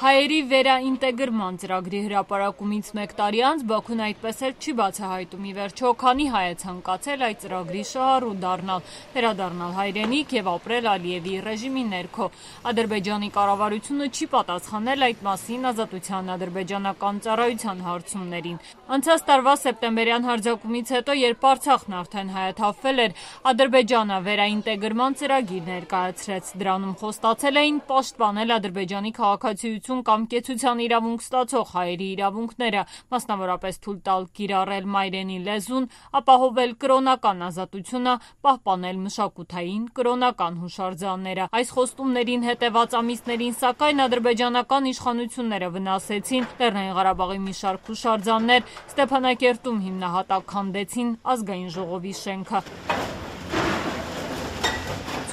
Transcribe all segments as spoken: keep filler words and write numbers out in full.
Հայերի վերաինտեգրման ծրագրի հրապարակումից մեկ տարի անց Բաքուն այդպես էլ չի բացահայտում ի վերջո քանի հայ է ցանկացել այդ ծրագրի շահառու դառնալ, վերադառնալ հայրենիք եւ ապրել Ալիևի ռեժիմի ներքո։ Ադրբեջանի կառավարությունը չի պատասխանել այդ մասին Ազատության ադրբեջանական ծառայության հարցումներին։ Անցած տարվա սեպտեմբերյան հարձակումից հետո, երբ Արցախն արդեն հայաթափվել էր, Ադրբեջանը վերաինտեգրման ծրագիր ներկայացրեց։ Դրանում խոստացել էին պաշտպանել Ադրբեջանի քաղաքացիություն կամ կեցության իրավունք ստացող հայերի իրավունքները, մասնավորապես թույլ տալ կիրառել մայրենի լեզուն, ապահովել կրոնական ազատությունը, պահպանել մշակութային կրոնական հուշարձանները։ Այս խոստումներին հետևած ամիսներին, սակայն ադրբեջանական իշխանությունները վնասեցին Լեռնային Ղարաբաղի մի շարք հուշարձաններ, Ստեփանակերտում հիմնահատակ քանդեցին Ազգային ժողովի շենքը։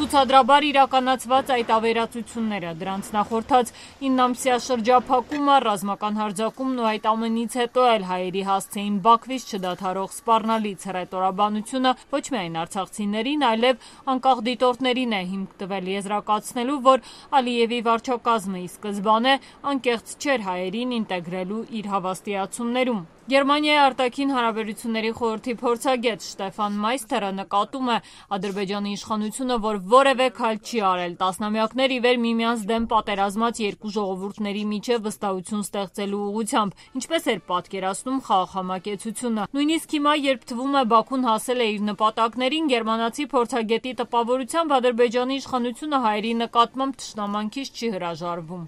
Ցուցադրաբար իրականացված այդ ավերածությունները, դրանց նախորդած իննամսյա շրջափակումը, ռազմական հարձակումն ու այդ ամենից հետո էլ հայերի հասցեին Բաքվից չդադարող սպառնալից հռետորաբանությունը ոչ միայն արցախցիներին, այլև անկախ դիտորդներին է հիմք տվել եզրակացնելու, որ Ալիևի վարչակազմը ի սկզբանե անկեղծ չէր հայերին ինտեգրելու իր հավաստիացումներում։ Գերմանիայի արտաքին հարաբերությունների խորհրդի փորձագետ Շտեֆան Մայստերը նկատում է Ադրբեջանի իշխանությունը, որ որևէ քայլ չի արել տասնամյակներ ի վեր միմյանց դեմ պատերազմած երկու ժողովուրդների միջև վստահություն ստեղծելու ուղղությամբ, ինչպես էր պատկերացնում խաղաղամակեցությունը։ Նույնիսկ հիմա, երբ թվում է Բաքուն հասել է իր նպատակներին, գերմանացի փորձագետի տպավորությամբ Ադրբեջանի իշխանությունը հայերի նկատմամբ թշնամանքից չի հրաժարվում։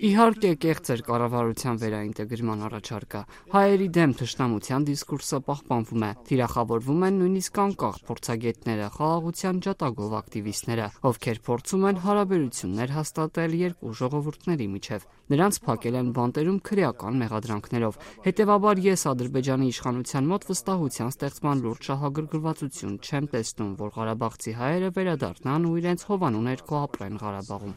Իհարկե, կեղծ էր կառավարության վերաինտեգրման առաջարկը։ Հայերի դեմ թշնամության դիսկուրսը պահպանվում է, թիրախավորվում են նույնիսկ անկախ փորձագետները, խաղաղության ջատագով ակտիվիստները, ովքեր փորձում են հարաբերություններ հաստատել երկու ժողովուրդների միջև։ Նրանց փակել են բանտերում քրեական մեղադրանքներով։ Հետևաբար ես Ադրբեջանի իշխանության մոտ վստահության ստեղծման լուրջ շահագրգռվածություն չեմ տեսնում, որ ղարաբաղցի հայերը վերադառնան ու իրենց հովանու ներքո ապրեն Ղարաբաղում։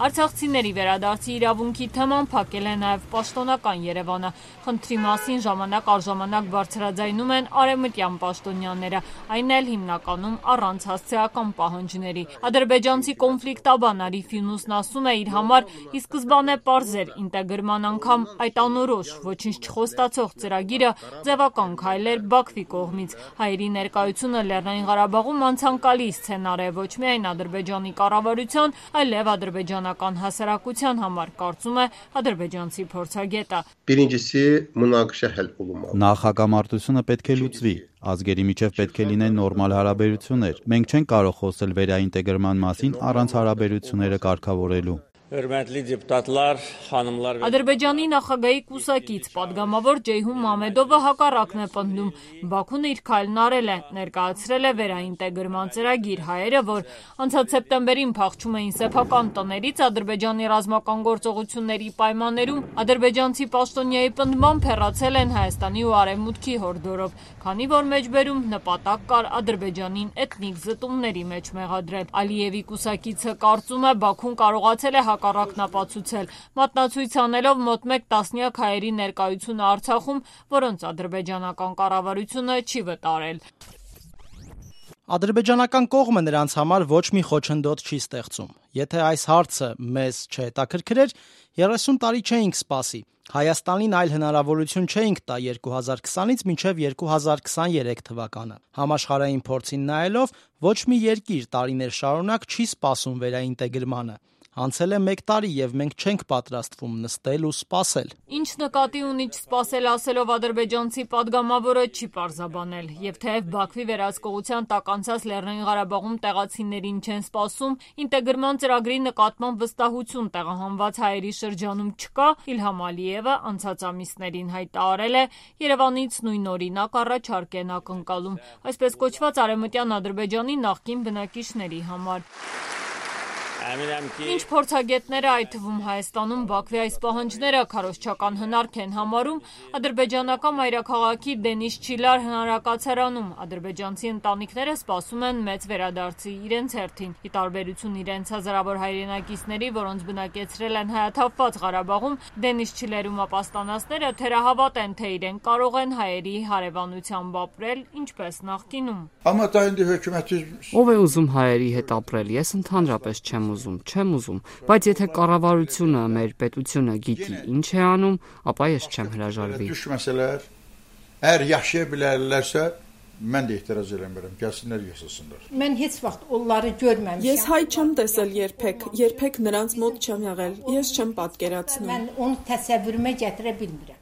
Արցախցիների վերադարձի իրավունքի թեման փակել է նաև պաշտոնական Երևանը։ Խնդրի մասին ժամանակ առ ժամանակ բարձրաձայնում են արևմտյան պաշտոնյաները, այն էլ հիմնականում առանց հասցեական պահանջների։ Ադրբեջանցի կոնֆլիկտաբան Արիֆ Յունուսն ասում է իր համար ի սկզբանե պարզ էր ինտեգրման անգամ այդ անորոշ, ոչինչ չխոստացող ծրագիրը ձևական քայլ էր Բաքվի կողմից։ Հայերի ներկայությունը Լեռնային Ղարաբաղում անցանկալի սցենար է ոչ միայն Ադրբեջանի կառավարության, այլև ադրբեջանական հասարակության համար, կարծում է ադրբեջանցի փորձագետը։ Նախ հակամարտությունը պետք է լուծվի, ազգերի միջև պետք է լինեն նորմալ հարաբերություններ։ Մենք չենք կարող խոսել վերաինտեգրման մասին առանց հարաբերությունները կարգավորելու։ Ադրբեջանի նախագահի կուսակից պատգամավոր Ջեյհուն Մամեդովը հակառակն է պնդում։ Բաքուն իր քայլն արել է, ներկայացրել է վերաինտեգրման ծրագիր։ Հայերը, որ անցած սեպտեմբերին փախչում էին սեփական տներից Ադրբեջանի ռազմական գործողությունների պայմաններում, ադրբեջանցի պաշտոնյայի պնդմամբ հեռացել են Հայաստանի ու Արևմուտքի հորդորով, քանի որ մեջբերում նպատակ կար Ադրբեջանին էթնիկ զտումների մեջ մեղադրել։ Ալիևի կուսակիցը կարծում է Բաքուն կարողացել է հակառակն ապացուցել, մատնացույց անելով մոտ մեկ տասնյակ հայերի ներկայությունը Արցախում, որոնց ադրբեջանական կառավարությունը չի վտարել։ Ադրբեջանական կողմը նրանց համար ոչ մի խոչընդոտ չի ստեղծում։ Եթե այս հարցը մեզ չհետաքրքրեր, երեսուն տարի չէինք սպասի։ Հայաստանին այլ հնարավորություն չէինք տա երկու հազար քսանից մինչև երկու հազար քսաներեք թվականը։ Համաշխարհային փորձին նայելով, ոչ մի երկիր տարիներ շարունակ չի սպասում վերաինտեգրմանը։ Անցել է մեկ տարի եւ մենք չենք պատրաստվում նստել ու սպասել։ Ինչ նկատի ունի չսպասել ասելով ադրբեջանցի падգամավորը չի պարզաբանել, եւ թեև Բաքվի վերահսկողության տակ անցած Լեռնային Ղարաբաղում տեղացիներին չեն սպասում, ինտեգրման ծրագրի նկատմամբ վստահություն տեղահանված հայերի շրջանում չկա, Իլհամ Ալիևը անցած ամիսներին հայտարարել է Երևանից նույն օրինակ առաջարկ են ակնկալում, այսպես կոչված արևմտյան Ադրբեջանի նախկին բնակիչների համար։ Ինչ փորձագետները, այդ թվում Հայաստանում Բաքվի այս պահանջները քարոզչական հնարք են համարում, ադրբեջանական մայրաքաղաքի Դենիս Չիլար հնարակացարանում ադրբեջանցի ընտանիքները սպասում են մեծ վերադարձի իրենց հերթին։ Ի տարբերություն իրենց հազարավոր հայրենակիցների, որոնց բնակեցրել են հայաթափված Ղարաբաղում, Դենիս Չիլերում ապաստանածները թերահավատ են, թե իրենք կարող են հայերի հարևանությամբ ապրել, ինչպես նախկինում։ Ով է ուզում հայերի հետ ապրել, ես ընդհանրապես չեմ եմ ուզում, չեմ ուզում, բայց եթե կառավարությունը, մեր պետությունը գիտի ինչ է անում, ապա ես չեմ հրաժարվի։ Əgər yaşaya bilərlərsə, mən də etiraz eləmirəm. Gəlsinlər yaşasınlar. Mən heç vaxt onları görməmişəm. Ես հայ չեմ տեսել երբեք, երբեք նրանց մոտ չեմ եղել։ Ես չեմ պատկերացնում։ Mən onu təsəvvürümə gətirə bilmirəm.